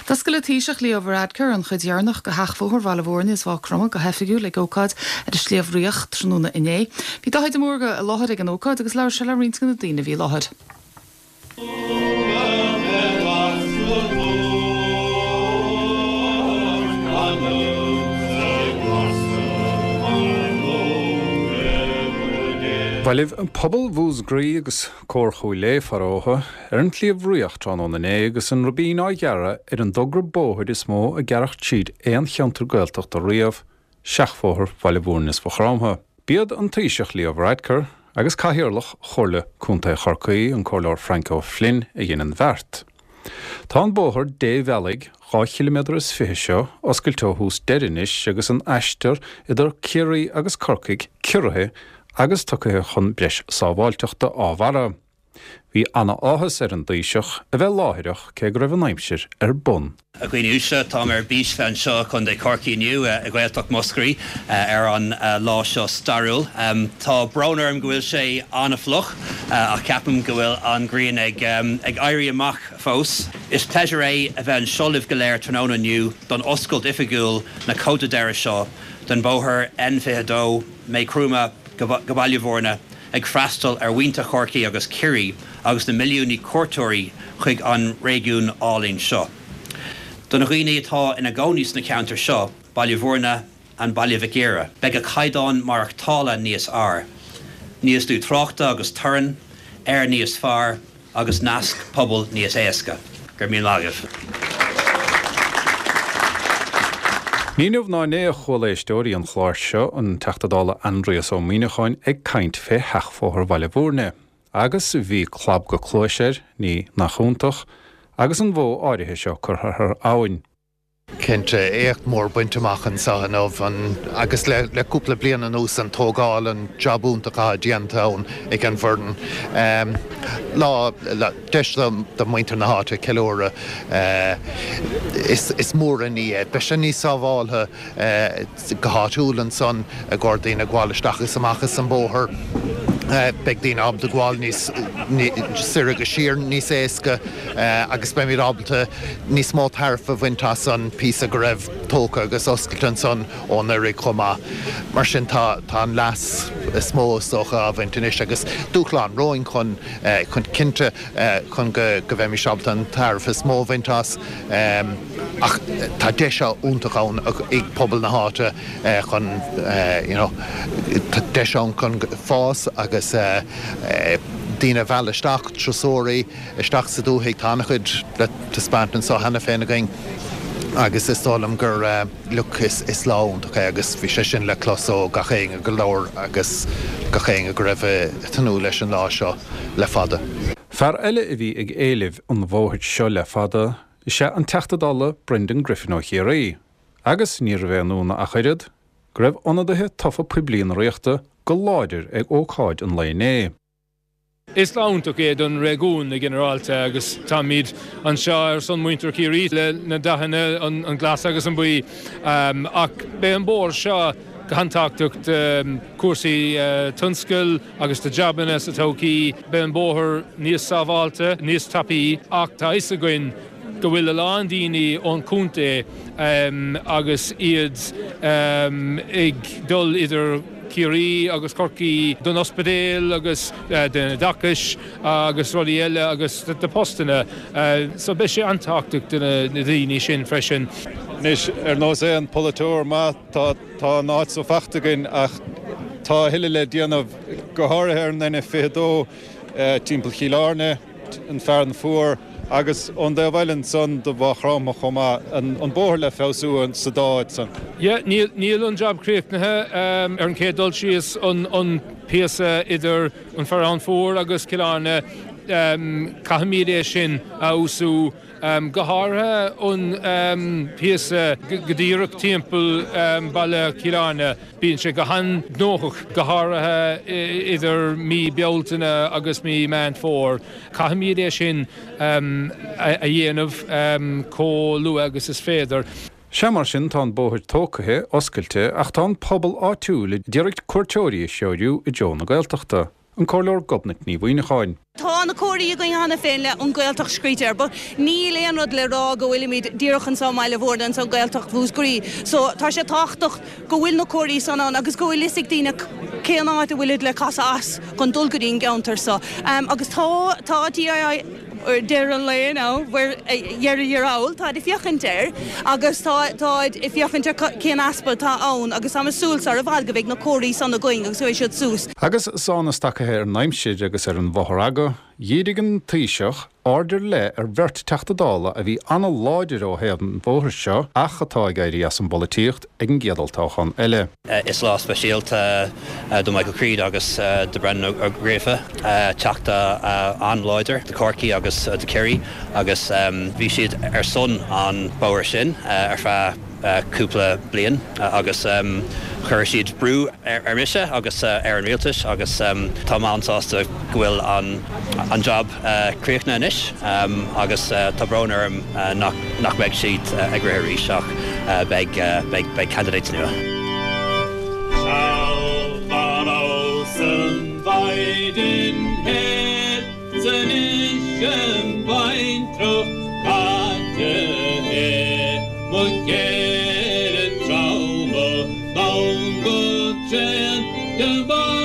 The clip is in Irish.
D'oscail an Taoiseach Leo Varadkar an chuid dheireanach de sheachbhóthar Bhaile Bhúirne is Mhaigh Chromtha go hoifigiúil ag ócáid ar an Sliabh Riach tráthnóna inné. Bhí Dáithí de Mórdha i láthair ag an ócáid agus labhair sé le roinnt de na daoine a bhí i láthair. Bhailigh pobal Mhúscraí agus Cór Chúil Aodha, faraor, ar an tSliabh Riach tráthnóna inné agus an ribín á ghearradh ar an dtogra bóthair is mó a gearradh tríd aon cheantar Gaeltachta riamh, seachbhóthar Bhaile Bhúirne is Mhaigh Chromtha. B'iad an Taoiseach Leo Varadkar agus Cathaoirleach Chomhairle Contae Chorcaí, an Comhairleoir Frank O'Flynn, a dhein an bheart. Tá an bóthar débhealaigh 2 chiliméadar is 20 seo oscailte ó thús deireadh anois agus an aistear idir Ciarraí agus Corcaigh ciorraithe agus tugtha chun breis sábháilteachta á bharra. Bhí ana-áthas ar an dTaoiseach a bheith láithreach cé go raibh an aimsir ar bun. A dhaoine uaisle, táim ar bís bheith anseo i Contae Chorcaí inniu, i Gaeltacht Mhuscraí, ar an lá seo stairiúil. Tá brón orm go bhfuil sé an-fhliuch, ach ceapaim go bhfuil an ghrian ag éirí amach fós. Is pléisiúr é a bheith anseo libh go léir tráthnóna inniu don oscailt oifigiúil na coda deiridh seo den bhóthar N22, Maigh Chromtha go Baile Bhúirne. ag freastal ar mhuintir Chorcaí agus Chiarraí agus na milliúnaí cuairteoirí chuig an réigiún álainn seo. Do na dhaoine atá ina gcónaí sna ceantair seo, Baile Bhúirne and Baile Mhic Íre, beidh a caighdeán maireachtála níos fhearr, níos lú tráchta agus torainn, aer níos fearr, agus nasc pobail níos éasca. Go raibh míle maith agaibh. Ní inniu ná inné a chuala éisteoirí an chláir seo an Teachta Dála Aindrias Ó Muimhneacháin ag caint fé sheachbhóthar Bhaile Bhúirne, agus bhí clab go cluais air, ní nach iontach, agus an bhó áirithe seo curtha thar abhainn. Cinnte, éacht mór bainte amach anseo inniu agus le cúpla bliain anuas an tógáil, an jab iontach atá déanta ann ag an bhfoireann. Lá, deis do mhuintir na háite ceiliúradh. Is mór an ní é. Beidh sé níos sábháltha. Go háitiúil ansan i gcomhair daoine ag gabháil isteach is amach as an bóthar, beidh daoine ábalta gabháil níos soir agus siar níos éasca agus beimid ábalta níos mó tairbhe a bhaint as an píosa go raibh tógtha agus oscailte ansan ó anuraidh chomh maith. Mar sin tá an leas is mó is dócha á bhaint anois agus dúshlán romhainn chun chun cinnte chun go bheimis ábalta an tairbhe is mó a bhaint as. Ach tá deis iontach ann ag pobal na háite chun you know tá deis ann chun fás agus daoine a mhealladh isteach, turasóirí isteach sa dúthaigh. Tá an-chuid le taispeáint anseo cheana féin againn agus is dóigh liom gur look is lá iontach é agus bhí sé sin le clos ó gach éinne go labhair agus gach éinne go raibh ag tnúth leis an lá seo le fada. Fear eile a bhí ag éileamh an bhóthair seo le fada is ea an Teachta Dála Brendan Griffin ó Chiarraí, agus níorbh aon ionadh ach oiread, go raibh ionadaithe tofa poiblí na Ríochta go láidir ag ócáid an lae inné. Is lá iontach é don réigiún i ginearálta agus táimid anseo ar son muintir Chiarraí le na dathanna, an glas agus an buí, ach beidh an bóthar seo go han-tábhachtach do chúrsaí tionscail agus do jabanna sa todhchaí. Beidh an bóthar níos sábháilte, níos tapaí ach tá a fhios againn go bhfuil a lán daoine ón chontae agus iad ag dul idir Ciarraí agus Corcaigh don ospidéal agus don oideachais agus rudaí eile agus do postanna. So beidh sé an-tábhachtach do na daoine sin freisin. Anois, ar nós aon pholaiteoir maith, tá tá an áit so faighte againn ach tá a thuilleadh le déanamh, go háirithe ar an N22 timpeall Chill Airne, an Fearann Fuar agus ón dtaobh eile ansan do Mhaigh Chromtha chomh maith, an bóthar le feabhsú sa dá áit san. Yeah, níl, níl an jab críochnaithe. Ar an chéad dul síos, an, an píosa idir an Fearann Fuar agus Cill Airne, caithfimid é sin a fheabhsú. Go háirithe an píosa go díreach timpeall baile Chill Airne, bíonn sé go han-ghnóthach, go háirithe idir mí Bealtaine agus mí Meán Fómhair. Caithfimid é sin a dhéanamh chomh luath agus is féidir. Sea, mar sin, tá an bóthar tógtha, oscailte, ach tá an pobal áitiúil a d'iarraidh cuairteoirí a threorú i dtreo na Gaeltachta. an Comhairleoir Gobnait Ní Mhuimhneacháin. Tá na comharthaí againn cheana féin le An Ghaeltacht scríte air but níl aon rud le rá go bhfuilimid díreach anseo i mBaile Mhúirne, anseo i nGaeltacht Mhúscraí. So tá sé tábhachtach go bhfuil na comharthaí san ann agus go bhfuil fhios ag daoine cén áit a bhfuilid le casadh as chun dul go dtí an gceantar so. Agus tá, tá TII deireadh an lae now, dheireadh thiar thall, táid ag féachaint air agus tá, táid ag féachaint ar cén easpa atá ann agus táim ag súil sar i bhfad go mbeidh na comharthaí san againn agus go mbeidh siad suas. Agus sá na stacaithe ar an aimsir agus ar an bhfothragha, dhírigh an Taoiseach aird ar leith ar bheirt Teachta Dála a bhí an-láidir ó thaobh an bhóthair seo ach atá ag éirí as an bpolaitíocht ag an gcéad olltoghchán eile. Is lá speisialta do Michael Creed agus do Brendan Ó Gríofa, Teachta an-láidir do Chorcaigh agus do Chiarraí agus bhí siad ar son an bóthar sin ar feadh cúpla bliain agus chuir siad brú ar mise agus ar an rialtas agus tá mé an-sásta go bhfuil an job críochnaithe anois agus tá brón orm nach mbeidh siad ag rith arís ach beidh beidh candidates nua. Seal dá raibh san mhaighdean thoir. 'S anois im bhaintreach caite i mo chéile treabhadh donn go tréan de bharr.